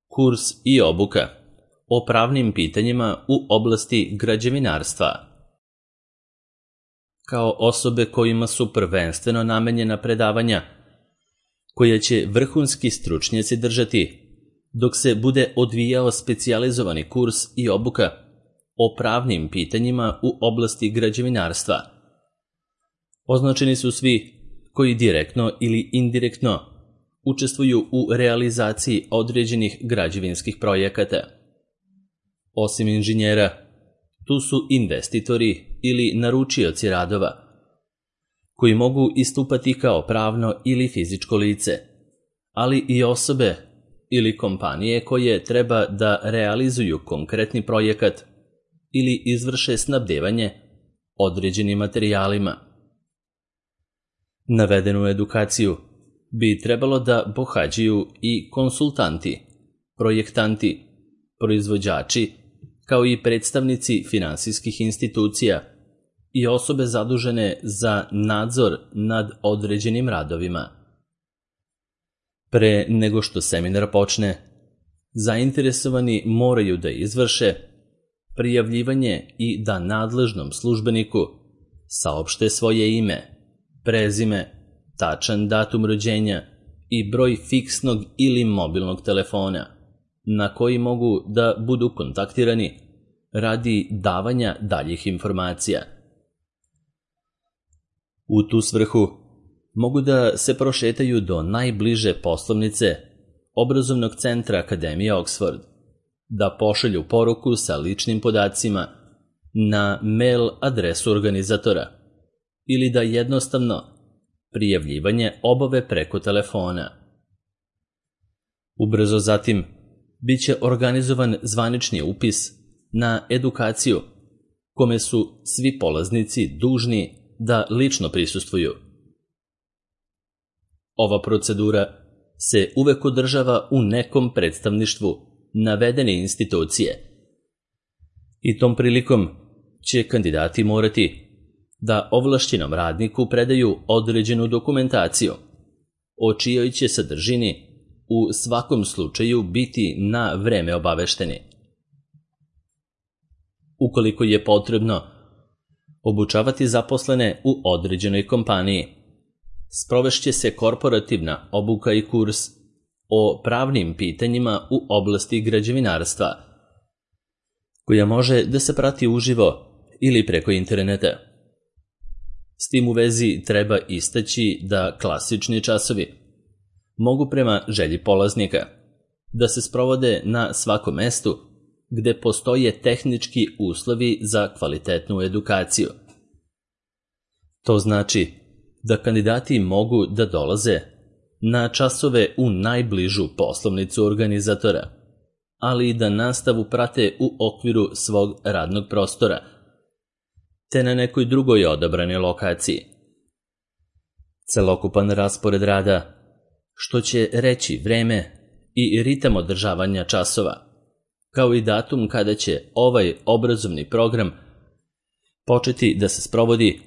kurs i obuka o pravnim pitanjima u oblasti građevinarstva. Kao osobe kojima su prvenstveno namenjena predavanja, koja će vrhunski stručnjaci držati, dok se bude odvijao specijalizovani kurs i obuka o pravnim pitanjima u oblasti građevinarstva. Označeni su svi koji direktno ili indirektno učestvuju u realizaciji određenih građevinskih projekata. Osim inženjera, tu su investitori ili naručioci radova, koji mogu istupati kao pravno ili fizičko lice, ali i osobe ili kompanije koje treba da realizuju konkretni projekat ili izvrše snabdevanje određenim materijalima. Navedenu edukaciju bi trebalo da pohađaju i konsultanti, projektanti, proizvođači, kao i predstavnici finansijskih institucija i osobe zadužene za nadzor nad određenim radovima. Pre nego što seminar počne, zainteresovani moraju da izvrše prijavljivanje i da nadležnom službeniku saopšte svoje ime, prezime, tačan datum rođenja i broj fiksnog ili mobilnog telefona na koji mogu da budu kontaktirani radi davanja daljih informacija. U tu svrhu mogu da se prošetaju do najbliže poslovnice obrazovnog centra Akademije Oxford, da pošalju poruku sa ličnim podacima na mail adresu organizatora ili da jednostavno prijavljivanje obave preko telefona. Ubrzo zatim biće organizovan zvanični upis na edukaciju, kome su svi polaznici dužni da lično prisustvuju. Ova procedura se uvek održava u nekom predstavništvu navedene institucije i tom prilikom će kandidati morati da ovlašćenom radniku predaju određenu dokumentaciju, o čijoj će sadržini u svakom slučaju biti na vreme obavešteni. Ukoliko je potrebno obučavati zaposlene u određenoj kompaniji, sprovešće se korporativna obuka i kurs o pravnim pitanjima u oblasti građevinarstva, koja može da se prati uživo ili preko interneta. S tim u vezi treba istaći da klasični časovi mogu prema želji polaznika da se sprovode na svakom mestu gde postoje tehnički uslovi za kvalitetnu edukaciju. To znači da kandidati mogu da dolaze na časove u najbližu poslovnicu organizatora, ali i da nastavu prate u okviru svog radnog prostora, te na nekoj drugoj odabranoj lokaciji. Celokupan raspored rada, što će reći vreme i ritam održavanja časova, kao i datum kada će ovaj obrazovni program početi da se sprovodi,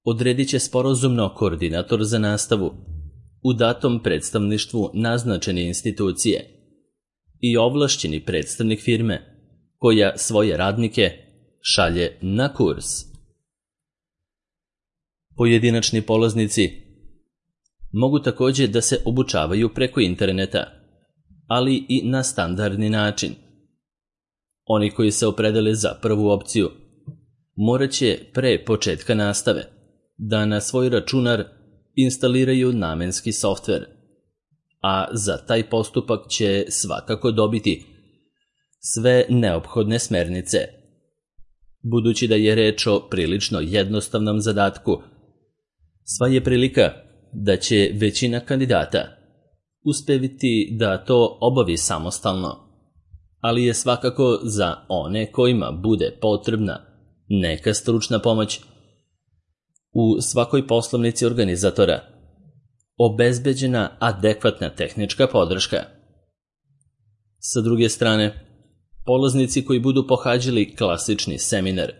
odredit će sporazumno koordinator za nastavu u datom predstavništvu naznačene institucije i ovlašćeni predstavnik firme koja svoje radnike šalje na kurs. Pojedinačni polaznici mogu takođe da se obučavaju preko interneta, ali i na standardni način. Oni koji se opredele za prvu opciju morat će pre početka nastave da na svoj računar instaliraju namenski softver, a za taj postupak će svakako dobiti sve neophodne smernice. Budući da je reč o prilično jednostavnom zadatku, sva je prilika da će većina kandidata uspeviti da to obavi samostalno, ali je svakako za one kojima bude potrebna neka stručna pomoć u svakoj poslovnici organizatora obezbeđena adekvatna tehnička podrška. Sa druge strane, polaznici koji budu pohađali klasični seminar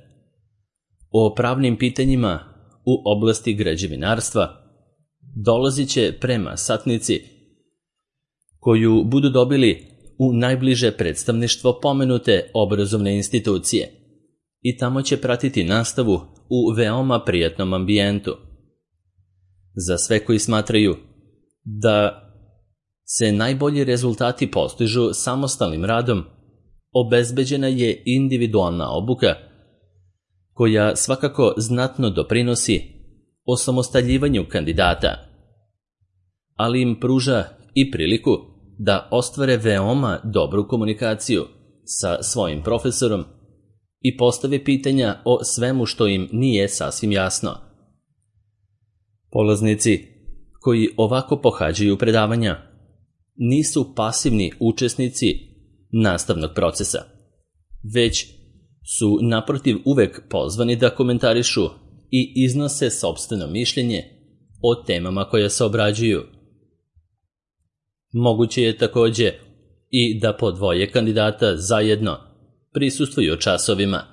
o pravnim pitanjima u oblasti građevinarstva dolazit će prema satnici koju budu dobili u najbliže predstavništvo pomenute obrazovne institucije i tamo će pratiti nastavu u veoma prijatnom ambijentu. Za sve koji smatraju da se najbolji rezultati postižu samostalnim radom, obezbeđena je individualna obuka koja svakako znatno doprinosi osamostaljivanju kandidata, ali im pruža i priliku da ostvare veoma dobru komunikaciju sa svojim profesorom i postave pitanja o svemu što im nije sasvim jasno. Polaznici koji ovako pohađaju predavanja nisu pasivni učesnici nastavnog procesa, već su naprotiv uvek pozvani da komentarišu i iznose sopstveno mišljenje o temama koje se obrađuju. Moguće je takođe i da po dvoje kandidata zajedno prisustvuju časovima,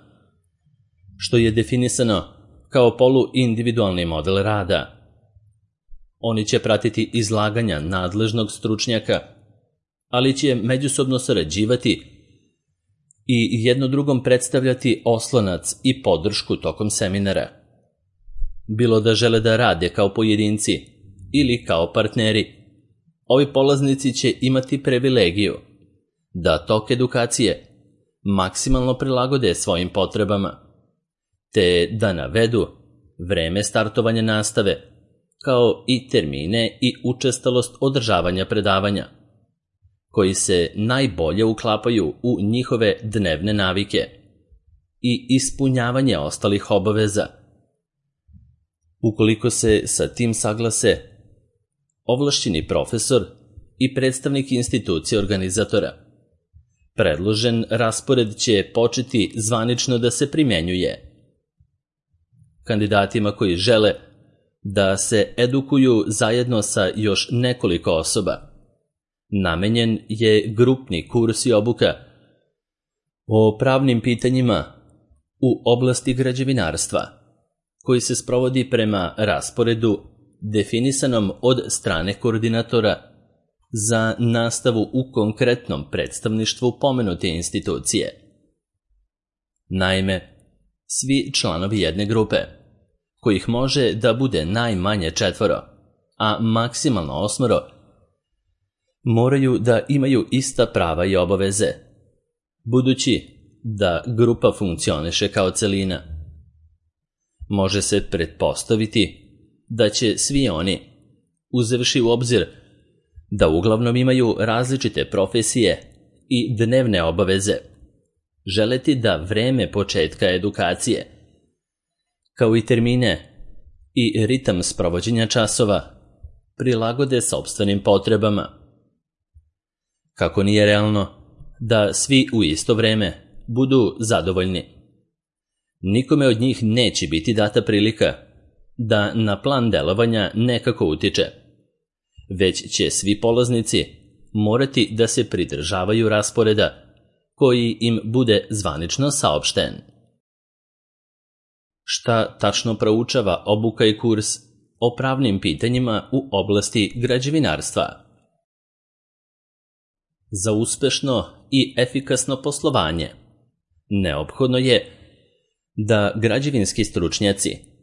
što je definisano kao poluindividualni model rada. Oni će pratiti izlaganja nadležnog stručnjaka, ali će međusobno sarađivati i jedno drugom predstavljati oslonac i podršku tokom seminara. Bilo da žele da rade kao pojedinci ili kao partneri, ovi polaznici će imati privilegiju da tok edukacije maksimalno prilagode svojim potrebama, te da navedu vreme startovanja nastave, kao i termine i učestalost održavanja predavanja, koji se najbolje uklapaju u njihove dnevne navike i ispunjavanje ostalih obaveza. Ukoliko se sa tim saglase ovlašćeni profesor i predstavnik institucije organizatora, predložen raspored će početi zvanično da se primenjuje. Kandidatima koji žele da se edukuju zajedno sa još nekoliko osoba, namenjen je grupni kurs i obuka o pravnim pitanjima u oblasti građevinarstva, koji se sprovodi prema rasporedu definisanom od strane koordinatora za nastavu u konkretnom predstavništvu pomenute institucije. Naime, svi članovi jedne grupe, kojih može da bude najmanje 4, a maksimalno 8, moraju da imaju ista prava i obaveze, budući da grupa funkcioniše kao celina. Može se pretpostaviti da će svi oni, uzevši u obzir da uglavnom imaju različite profesije i dnevne obaveze, želeti da vreme početka edukacije, kao i termine i ritam sprovođenja časova, prilagode sopstvenim potrebama. Kako nije realno da svi u isto vreme budu zadovoljni, nikome od njih neće biti data prilika da na plan delovanja nekako utiče, već će svi polaznici morati da se pridržavaju rasporeda koji im bude zvanično saopšten. Šta tačno proučava obuka i kurs o pravnim pitanjima u oblasti građevinarstva? Za uspešno i efikasno poslovanje neophodno je da građevinski stručnjaci,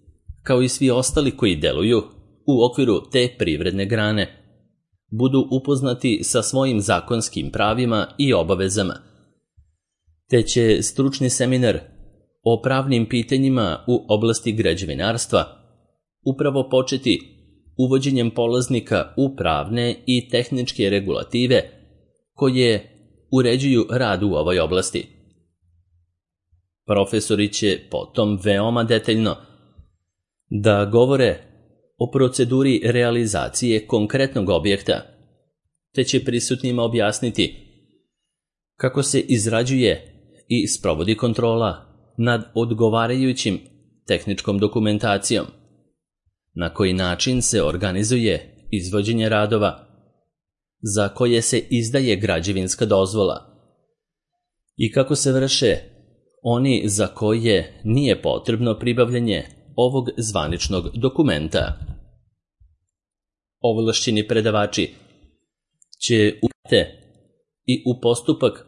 kao i svi ostali koji deluju u okviru te privredne grane, budu upoznati sa svojim zakonskim pravima i obavezama, te će stručni seminar o pravnim pitanjima u oblasti građevinarstva upravo početi uvođenjem polaznika u pravne i tehničke regulative koje uređuju rad u ovoj oblasti. Profesori će potom veoma detaljno da govore o proceduri realizacije konkretnog objekta, te će prisutnima objasniti kako se izrađuje i sprovodi kontrola nad odgovarajućim tehničkom dokumentacijom, na koji način se organizuje izvođenje radova, za koje se izdaje građevinska dozvola i kako se vrše oni za koje nije potrebno pribavljanje ovog zvaničnog dokumenta. Ovlašćeni predavači će i u postupak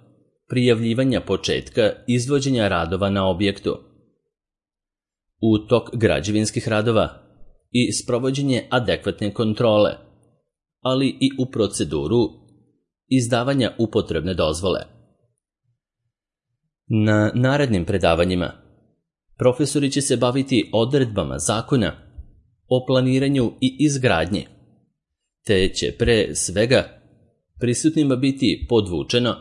prijavljivanja početka izvođenja radova na objektu, u tok građevinskih radova i sprovođenje adekvatne kontrole, ali i u proceduru izdavanja upotrebne dozvole. Na narednim predavanjima profesori će se baviti odredbama zakona o planiranju i izgradnji, te će pre svega prisutnima biti podvučeno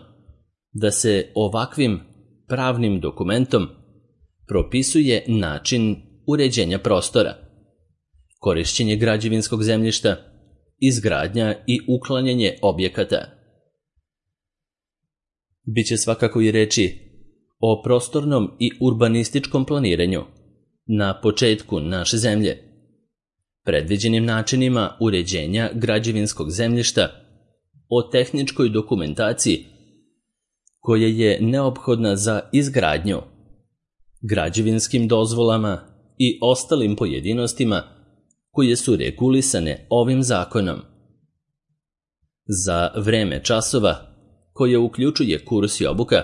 da se ovakvim pravnim dokumentom propisuje način uređenja prostora, korišćenje građevinskog zemljišta, izgradnja i uklanjanje objekata. Biće svakako i reči o prostornom i urbanističkom planiranju na početku naše zemlje, predviđenim načinima uređenja građevinskog zemljišta, o tehničkoj dokumentaciji koja je neophodna za izgradnju, građevinskim dozvolama i ostalim pojedinostima koje su regulisane ovim zakonom. Za vreme časova, koje uključuje kurs i obuka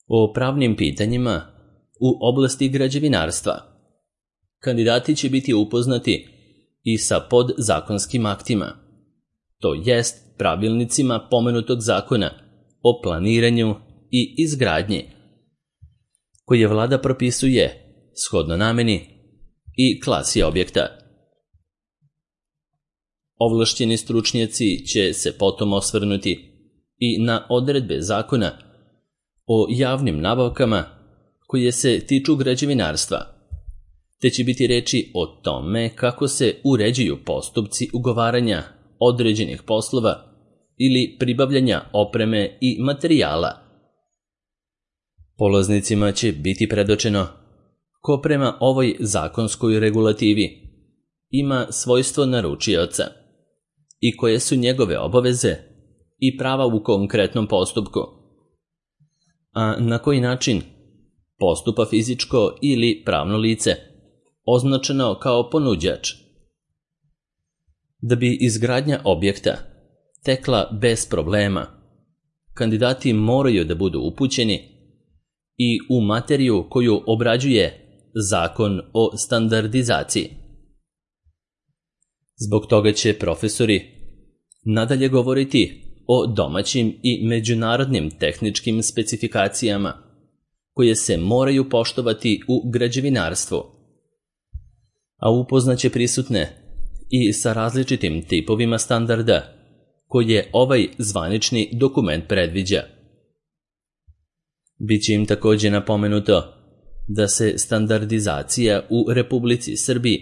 o pravnim pitanjima u oblasti građevinarstva, kandidati će biti upoznati i sa podzakonskim aktima, to jest pravilnicima pomenutog zakona o planiranju i izgradnji, koje vlada propisuje shodno nameni i klasi objekta. Ovlašćeni stručnjaci će se potom osvrnuti i na odredbe zakona o javnim nabavkama koje se tiču građevinarstva, te će biti reči o tome kako se uređuju postupci ugovaranja određenih poslova ili pribavljanja opreme i materijala. Polaznicima će biti predočeno ko prema ovoj zakonskoj regulativi ima svojstvo naručioca i koje su njegove obaveze i prava u konkretnom postupku, a na koji način postupa fizičko ili pravno lice označeno kao ponuđač. Da bi izgradnja objekta tekla bez problema, kandidati moraju da budu upućeni i u materiju koju obrađuje Zakon o standardizaciji. Zbog toga će profesori nadalje govoriti o domaćim i međunarodnim tehničkim specifikacijama koje se moraju poštovati u građevinarstvu, a upoznaće prisutne i sa različitim tipovima standarda koje ovaj zvanični dokument predviđa. Biće im takođe napomenuto da se standardizacija u Republici Srbiji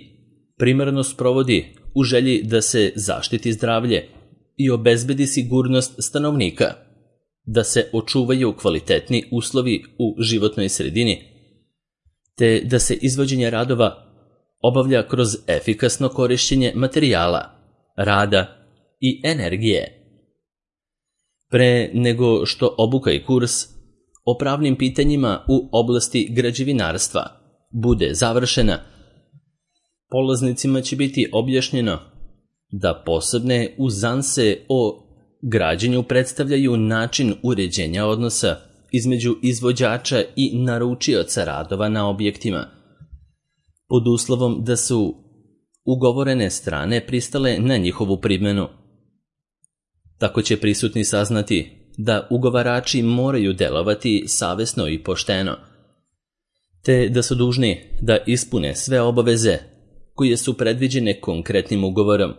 primarno sprovodi u želji da se zaštiti zdravlje i obezbedi sigurnost stanovnika, da se očuvaju kvalitetni uslovi u životnoj sredini, te da se izvođenje radova obavlja kroz efikasno korišćenje materijala, rada i energije. Pre nego što obuka i kurs o pravnim pitanjima u oblasti građevinarstva bude završena, polaznicima će biti objašnjeno da posebne uzanse o građenju predstavljaju način uređenja odnosa između izvođača i naručioca radova na objektima, pod uslovom da su ugovorene strane pristale na njihovu primjenu. Tako će prisutni saznati da ugovarači moraju delovati savesno i pošteno, te da su dužni da ispune sve obaveze koje su predviđene konkretnim ugovorom,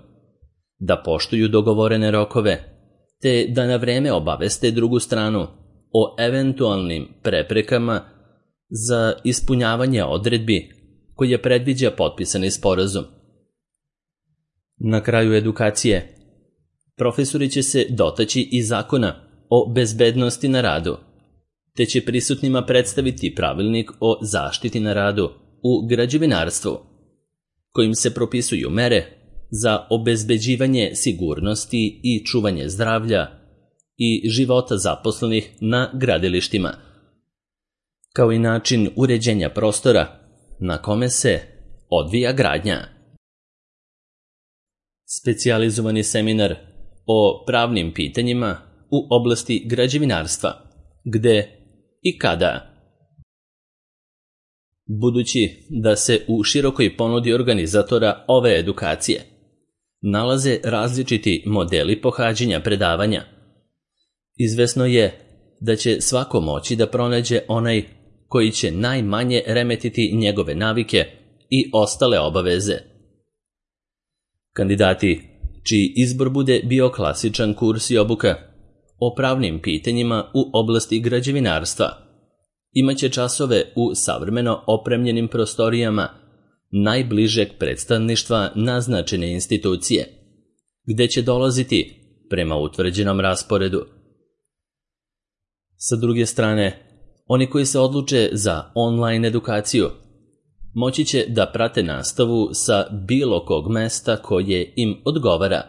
da poštuju dogovorene rokove, te da na vreme obaveste drugu stranu o eventualnim preprekama za ispunjavanje odredbi koje predviđa potpisani sporazum. Na kraju edukacije, profesori će se dotaći i zakona o bezbednosti na radu, te će prisutnima predstaviti pravilnik o zaštiti na radu u građevinarstvu, kojim se propisuju mere za obezbeđivanje sigurnosti i čuvanje zdravlja i života zaposlenih na gradilištima, kao i način uređenja prostora na kome se odvija gradnja. Specijalizovani seminar o pravnim pitanjima u oblasti građevinarstva, gde i kada. Budući da se u širokoj ponudi organizatora ove edukacije nalaze različiti modeli pohađanja predavanja, izvesno je da će svako moći da pronađe onaj koji će najmanje remetiti njegove navike i ostale obaveze. Kandidati čiji izbor bude bio klasičan kurs i obuka o pravnim pitanjima u oblasti građevinarstva imaće časove u savremeno opremljenim prostorijama najbližeg predstavništva naznačene institucije, gde će dolaziti prema utvrđenom rasporedu. Sa druge strane, oni koji se odluče za online edukaciju moći će da prate nastavu sa bilo kog mesta koje im odgovara,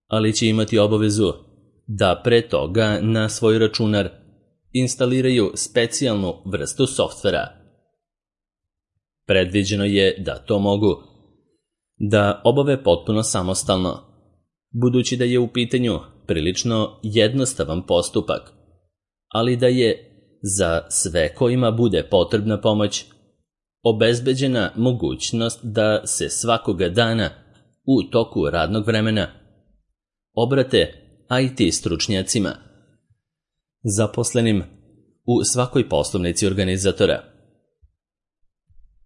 ali će imati obavezu da pre toga na svoj računar instaliraju specijalnu vrstu softvera. Predviđeno je da to mogu da obave potpuno samostalno, budući da je u pitanju prilično jednostavan postupak, ali da je za sve kojima bude potrebna pomoć obezbeđena mogućnost da se svakoga dana u toku radnog vremena obrate IT stručnjacima, zaposlenim u svakoj poslovnici organizatora.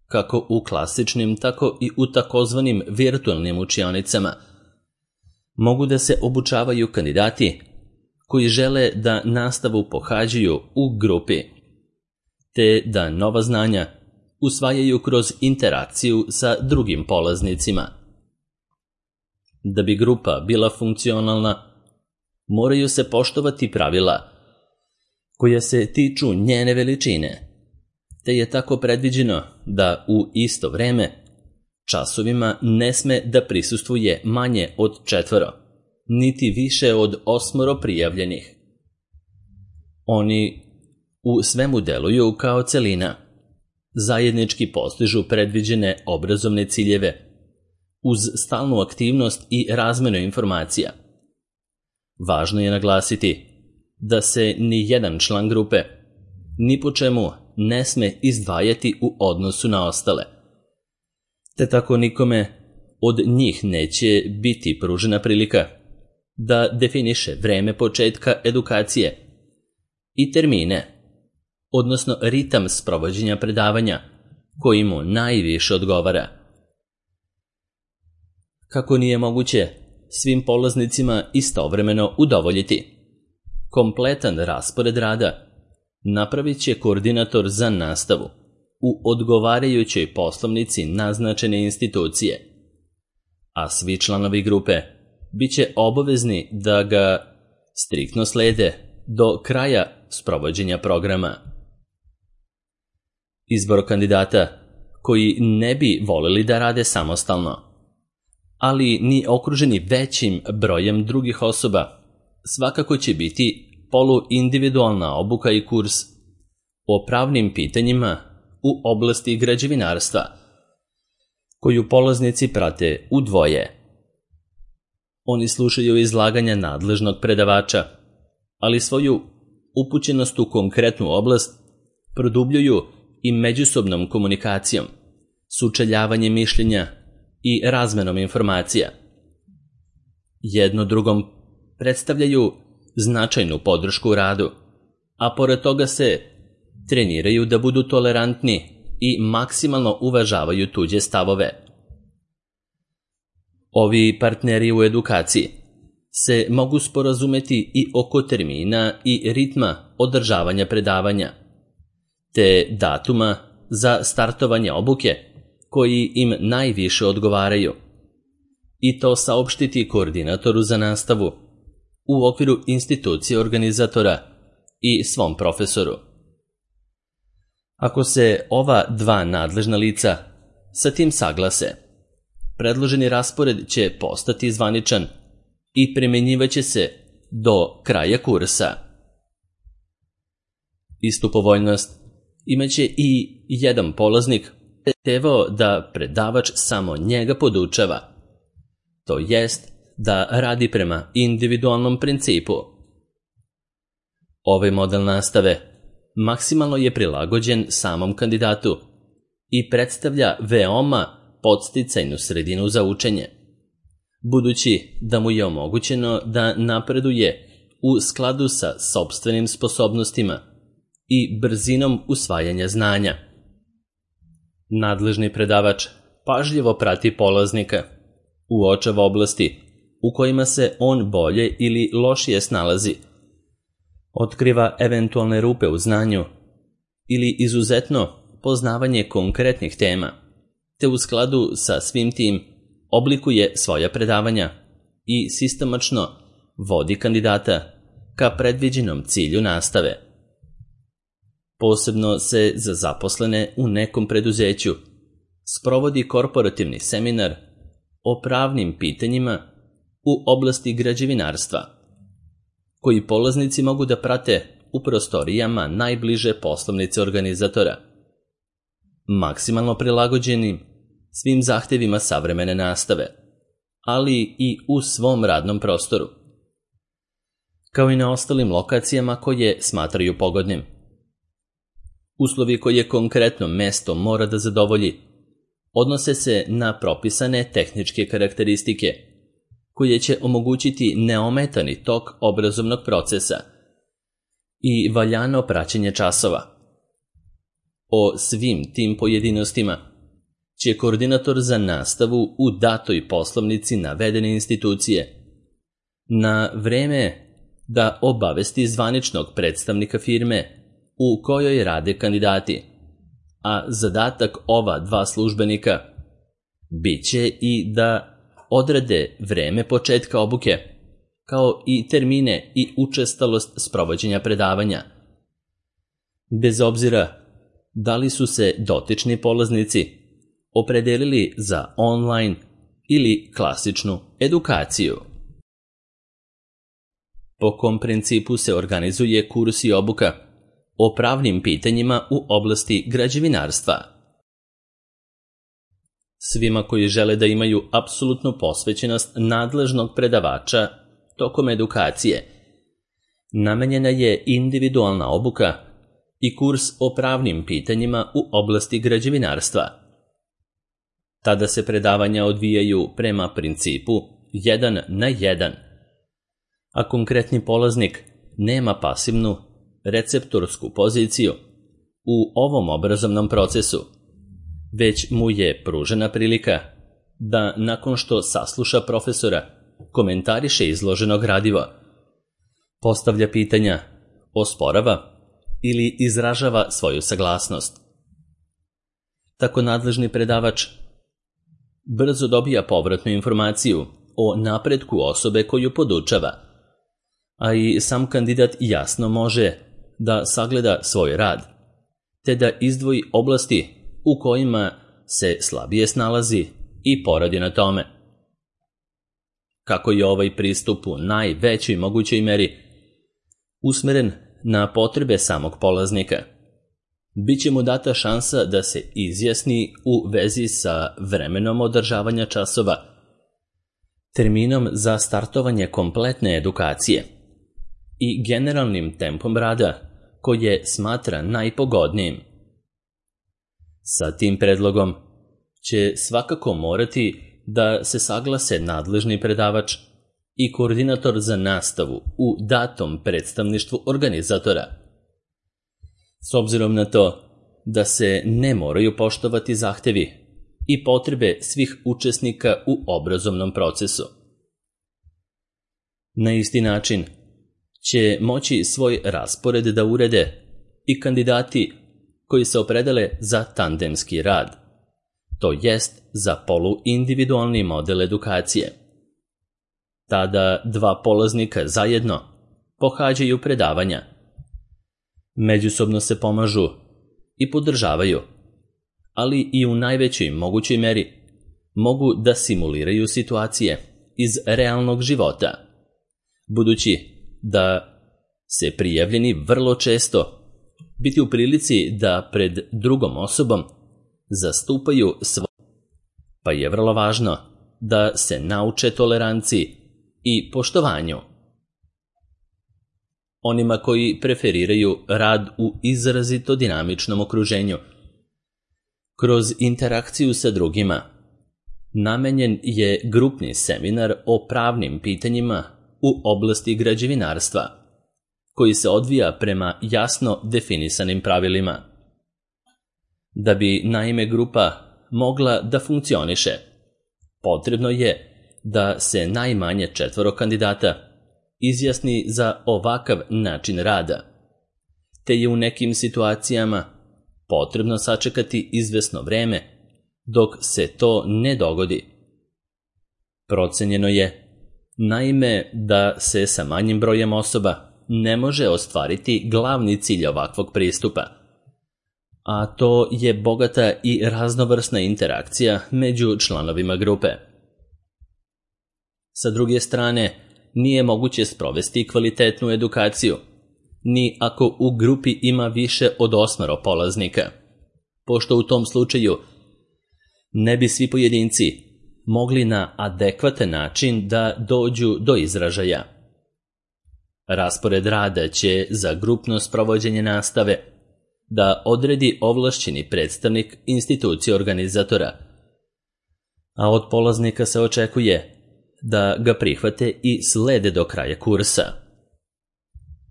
Kako u klasičnim, tako i u takozvanim virtualnim učionicama mogu da se obučavaju kandidati koji žele da nastavu pohađaju u grupi, te da nova znanja usvajaju kroz interakciju sa drugim polaznicima. Da bi grupa bila funkcionalna, moraju se poštovati pravila koja se tiču njene veličine, te je tako predviđeno da u isto vreme časovima ne sme da prisustvuje manje od 4, niti više od 8 prijavljenih. Oni u svemu deluju kao celina, zajednički postižu predviđene obrazovne ciljeve, uz stalnu aktivnost i razmenu informacija. Važno je naglasiti da se ni jedan član grupe ni po čemu ne sme izdvajati u odnosu na ostale, te tako nikome od njih neće biti pružena prilika da definiše vreme početka edukacije i termine, odnosno ritam sprovođenja predavanja koji mu najviše odgovara. Kako nije moguće svim polaznicima istovremeno udovoljiti, kompletan raspored rada napravit će koordinator za nastavu u odgovarajućoj poslovnici naznačene institucije, a svi članovi grupe bit će obavezni da ga striktno slede do kraja sprovođenja programa. Izbor kandidata koji ne bi voleli da rade samostalno, ali ni okruženi većim brojem drugih osoba, svakako će biti poluindividualna obuka i kurs o pravnim pitanjima u oblasti građevinarstva, koju polaznici prate u dvoje. Oni slušaju izlaganja nadležnog predavača, ali svoju upućenost u konkretnu oblast produbljuju i međusobnom komunikacijom, sučeljavanjem mišljenja i razmenom informacija. Jedno drugom predstavljaju značajnu podršku u radu, a pored toga se treniraju da budu tolerantni i maksimalno uvažavaju tuđe stavove. Ovi partneri u edukaciji se mogu sporazumeti i oko termina i ritma održavanja predavanja, te datuma za startovanje obuke koji im najviše odgovaraju, i to saopštiti koordinatoru za nastavu u okviru institucije organizatora i svom profesoru. Ako se ova dva nadležna lica sa tim saglase, predloženi raspored će postati zvaničan i primenjivaće se do kraja kursa. Istu povoljnost imaće i jedan polaznik tevao da predavač samo njega podučava, to jest da radi prema individualnom principu, Ovaj model nastave maksimalno je prilagođen samom kandidatu i predstavlja veoma podsticajnu sredinu za učenje, budući da mu je omogućeno da napreduje u skladu sa sopstvenim sposobnostima i brzinom usvajanja znanja. Nadležni predavač pažljivo prati polaznika, uočava oblasti u kojima se on bolje ili lošije snalazi, otkriva eventualne rupe u znanju ili izuzetno poznavanje konkretnih tema, te u skladu sa svim tim oblikuje svoja predavanja i sistematično vodi kandidata ka predviđenom cilju nastave. Posebno se za zaposlene u nekom preduzeću sprovodi korporativni seminar o pravnim pitanjima u oblasti građevinarstva, koji polaznici mogu da prate u prostorijama najbliže poslovnice organizatora, maksimalno prilagođenim svim zahtevima savremene nastave, ali i u svom radnom prostoru, kao i na ostalim lokacijama koje smatraju pogodnim. Uslovi koje konkretno mesto mora da zadovolji odnose se na propisane tehničke karakteristike, koje će omogućiti neometani tok obrazovnog procesa i valjano praćenje časova. O svim tim pojedinostima će koordinator za nastavu u datoj poslovnici navedene institucije na vreme da obavesti zvaničnog predstavnika firme u kojoj rade kandidati, a zadatak ova dva službenika biće i da odrede vreme početka obuke, kao i termine i učestalost sprovođenja predavanja, bez obzira da li su se dotični polaznici opredelili za online ili klasičnu edukaciju. Po kom principu se organizuje kurs i obuka o pravnim pitanjima u oblasti građevinarstva? Svima koji žele da imaju apsolutnu posvećenost nadležnog predavača tokom edukacije, namenjena je individualna obuka i kurs o pravnim pitanjima u oblasti građevinarstva. Tada se predavanja odvijaju prema principu 1 na 1, a konkretni polaznik nema pasivnu receptorsku poziciju u ovom obrazovnom procesu, već mu je pružena prilika da nakon što sasluša profesora, komentariše izloženo gradivo, postavlja pitanja, osporava ili izražava svoju saglasnost. Tako nadležni predavač brzo dobija povratnu informaciju o napretku osobe koju podučava, a i sam kandidat jasno može da sagleda svoj rad, te da izdvoji oblasti u kojima se slabije snalazi i poradi na tome. Kako je ovaj pristup u najvećoj mogućoj meri usmeren na potrebe samog polaznika, bit će mu data šansa da se izjasni u vezi sa vremenom održavanja časova, terminom za startovanje kompletne edukacije i generalnim tempom rada koje smatra najpogodnijim. Sa tim predlogom će svakako morati da se saglase nadležni predavač i koordinator za nastavu u datom predstavništvu organizatora. S obzirom na to da se ne moraju poštovati zahtevi i potrebe svih učesnika u obrazovnom procesu. Na isti način će moći svoj raspored da urede i kandidati koji se opredele za tandemski rad, to jest za poluindividualni model edukacije. Tada dva polaznika zajedno pohađaju predavanja, međusobno se pomažu i podržavaju, ali i u najvećoj mogućoj meri mogu da simuliraju situacije iz realnog života, budući da se prijavljeni vrlo često biti u prilici da pred drugom osobom zastupaju svoje, pa je vrlo važno da se nauče toleranciji i poštovanju. onima koji preferiraju rad u izrazito dinamičnom okruženju. Kroz interakciju sa drugima namenjen je grupni seminar o pravnim pitanjima u oblasti građevinarstva, koji se odvija prema jasno definisanim pravilima. Da bi naime grupa mogla da funkcioniše, potrebno je da se najmanje 4 kandidata izjasni za ovakav način rada, te je u nekim situacijama potrebno sačekati izvesno vreme dok se to ne dogodi. Procenjeno je, naime, da se sa manjim brojem osoba ne može ostvariti glavni cilj ovakvog pristupa, a to je bogata i raznovrsna interakcija među članovima grupe. Sa druge strane, nije moguće sprovesti kvalitetnu edukaciju, ni ako u grupi ima više od 8 polaznika, pošto u tom slučaju ne bi svi pojedinci mogli na adekvatan način da dođu do izražaja. Raspored rada će za grupno sprovođenje nastave da odredi ovlašćeni predstavnik institucije organizatora, a od polaznika se očekuje da ga prihvate i slede do kraja kursa.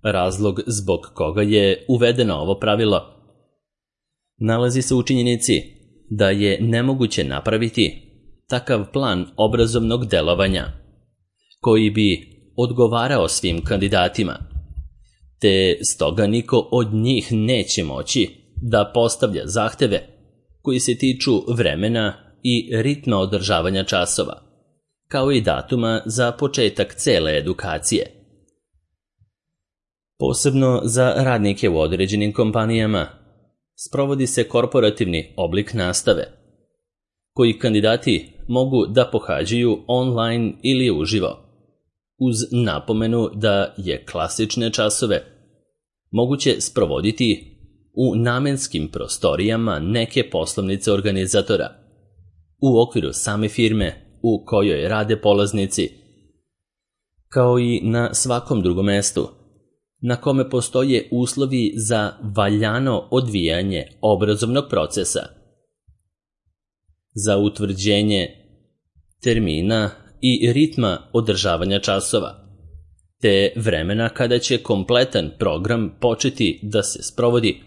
Razlog zbog koga je uvedeno ovo pravilo nalazi se u činjenici da je nemoguće napraviti takav plan obrazovnog delovanja koji bi odgovarao svim kandidatima, te stoga niko od njih neće moći da postavlja zahteve koji se tiču vremena i ritma održavanja časova, kao i datuma za početak cele edukacije. Posebno za radnike u određenim kompanijama sprovodi se korporativni oblik nastave, koji kandidati mogu da pohađaju online ili uživo, uz napomenu da je klasične časove moguće sprovoditi u namenskim prostorijama neke poslovnice organizatora, u okviru same firme u kojoj rade polaznici, kao i na svakom drugom mestu na kome postoje uslovi za valjano odvijanje obrazovnog procesa. Za utvrđenje termina i ritma održavanja časova, te vremena kada će kompletan program početi da se sprovodi,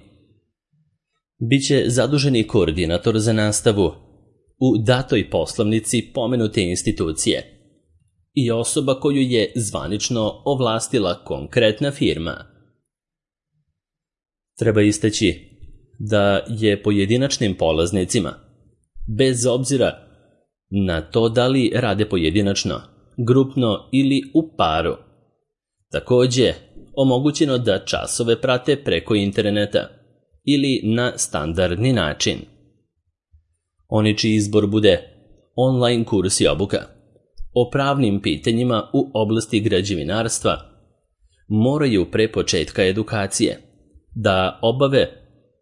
biće zaduženi koordinator za nastavu u datoj poslovnici pomenute institucije i osoba koju je zvanično ovlastila konkretna firma. Treba istaći da je pojedinačnim polaznicima, bez obzira na to da li rade pojedinačno, grupno ili u paru, takođe omogućeno da časove prate preko interneta ili na standardni način. Oni čiji izbor bude online kurs i obuka o pravnim pitanjima u oblasti građevinarstva moraju pre početka edukacije da obave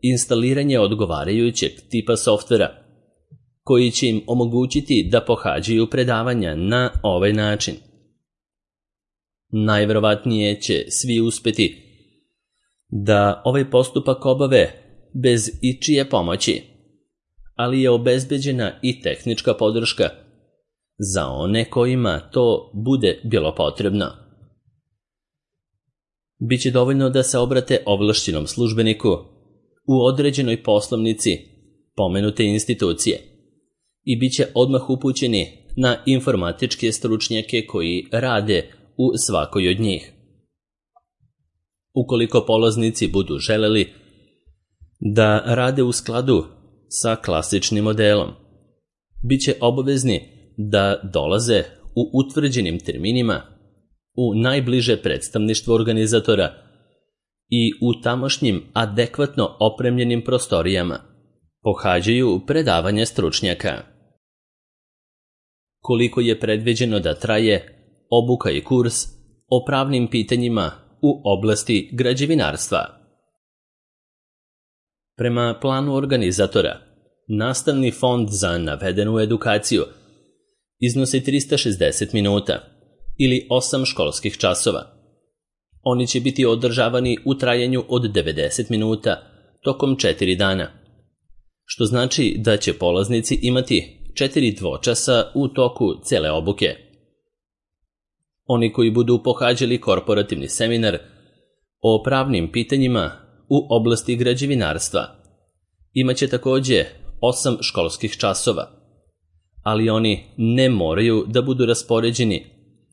instaliranje odgovarajućeg tipa softvera koji će im omogućiti da pohađaju predavanja na ovaj način. Najverovatnije će svi uspeti da ovaj postupak obave bez ičije pomoći, ali je obezbeđena i tehnička podrška za one kojima to bude bilo potrebno. Biće dovoljno da se obrate ovlašćenom službeniku u određenoj poslovnici pomenute institucije i biće odmah upućeni na informatičke stručnjake koji rade u svakoj od njih. Ukoliko polaznici budu želeli da rade u skladu sa klasičnim modelom, biće obavezni da dolaze u utvrđenim terminima u najbliže predstavništvo organizatora i u tamošnjim adekvatno opremljenim prostorijama pohađaju predavanje stručnjaka. Koliko je predviđeno da traje obuka i kurs o pravnim pitanjima u oblasti građevinarstva? Prema planu organizatora, nastavni fond za navedenu edukaciju iznosi 360 minuta ili 8 školskih časova. Oni će biti održavani u trajanju od 90 minuta tokom 4 dana, što znači da će polaznici imati 4 dvočasa u toku cele obuke. Oni koji budu pohađali korporativni seminar o pravnim pitanjima u oblasti građevinarstva imaće takođe 8 školskih časova, ali oni ne moraju da budu raspoređeni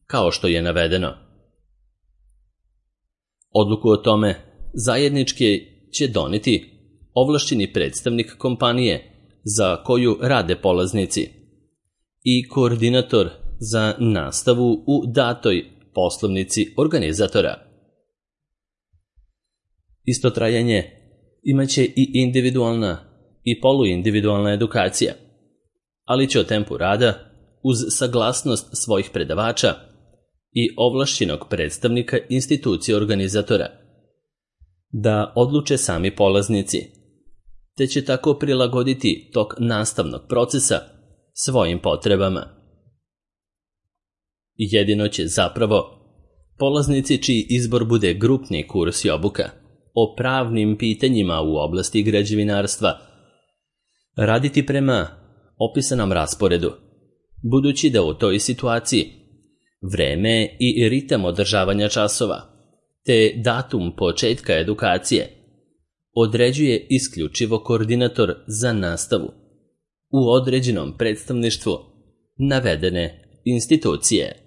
kao što je navedeno. Odluku o tome zajednički će doneti ovlašćeni predstavnik kompanije za koju rade polaznici i koordinator za nastavu u datoj poslovnici organizatora. Isto trajanje imaće i individualna i poluindividualna edukacija, ali će o tempu rada, uz saglasnost svojih predavača i ovlašćenog predstavnika institucije organizatora, da odluče sami polaznici, te će tako prilagoditi tok nastavnog procesa svojim potrebama. Jedino će zapravo polaznici čiji izbor bude grupni kurs i obuka o pravnim pitanjima u oblasti građevinarstva raditi prema opisanom rasporedu, budući da u toj situaciji vreme i ritam održavanja časova te datum početka edukacije određuje isključivo koordinator za nastavu u određenom predstavništvu navedene institucije.